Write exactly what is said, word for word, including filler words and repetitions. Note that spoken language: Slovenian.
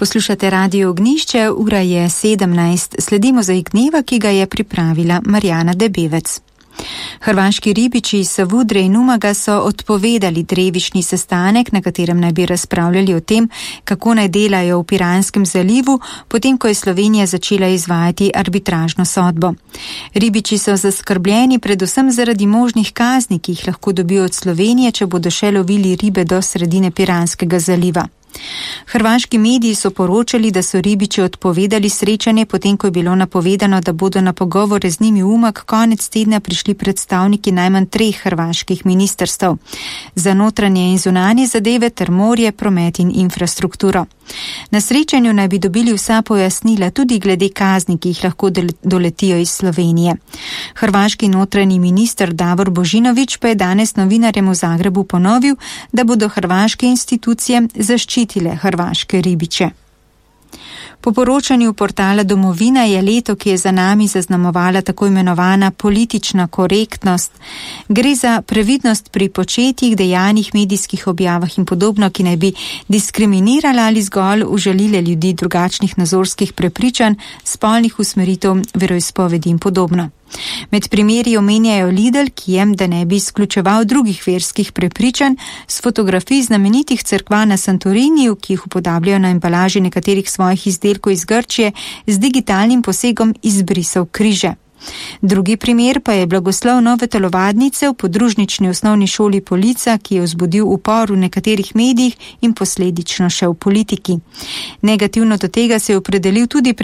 Poslušate Radio Ognjišče, ura je sedemnajst, sledi Mozaik dneva, ki ga je pripravila Marjana Debevec. Hrvaški ribiči iz Savudre in Umaga so odpovedali drevišnji sestanek, na katerem naj bi razpravljali o tem, kako naj delajo v Piranskem zalivu, potem ko je Slovenija začela izvajati arbitražno sodbo. Ribiči so zaskrbljeni predvsem zaradi možnih kazni, ki jih lahko dobijo od Slovenije, če bodo še lovili ribe do sredine Piranskega zaliva. Hrvaški mediji so poročali, da so ribiči odpovedali srečanje, potem ko je bilo napovedano, da bodo na pogovore z njimi v Umag konec tedna prišli predstavniki najmanj treh hrvaških ministrstev za notranje in zunanje zadeve ter morje, promet in infrastrukturo. Na srečanju naj bi dobili vsa pojasnila tudi glede kazni, ki jih lahko doletijo iz Slovenije. Hrvaški notranji minister Davor Božinović pa je danes novinarjem v Zagrebu ponovil, da bodo hrvaške institucije zaščitile hrvaške ribiče. Po poročanju portala Domovina je leto, ki je za nami zaznamovala tako imenovana politična korektnost. Gre za previdnost pri početjih, dejanjih, medijskih objavah in podobno, ki naj bi diskriminirala ali zgolj užalile ljudi drugačnih nazorskih prepričanj, spolnih usmeritev, veroizpovedi in podobno. Med primeri omenjajo Lidl, ki je, da ne bi izključeval drugih verskih prepričanj, s fotografij znamenitih cerkva na Santoriniju, ki jih upodabljajo na embalaži nekaterih svojih izdelkov iz Grčije, z digitalnim posegom izbrisal križe. Drugi primer pa je blagoslov nove telovadnice v podružnični osnovni šoli Polica, ki je vzbudil upor v nekaterih medijih in posledično še v politiki. Negativno do tega se je opredelil tudi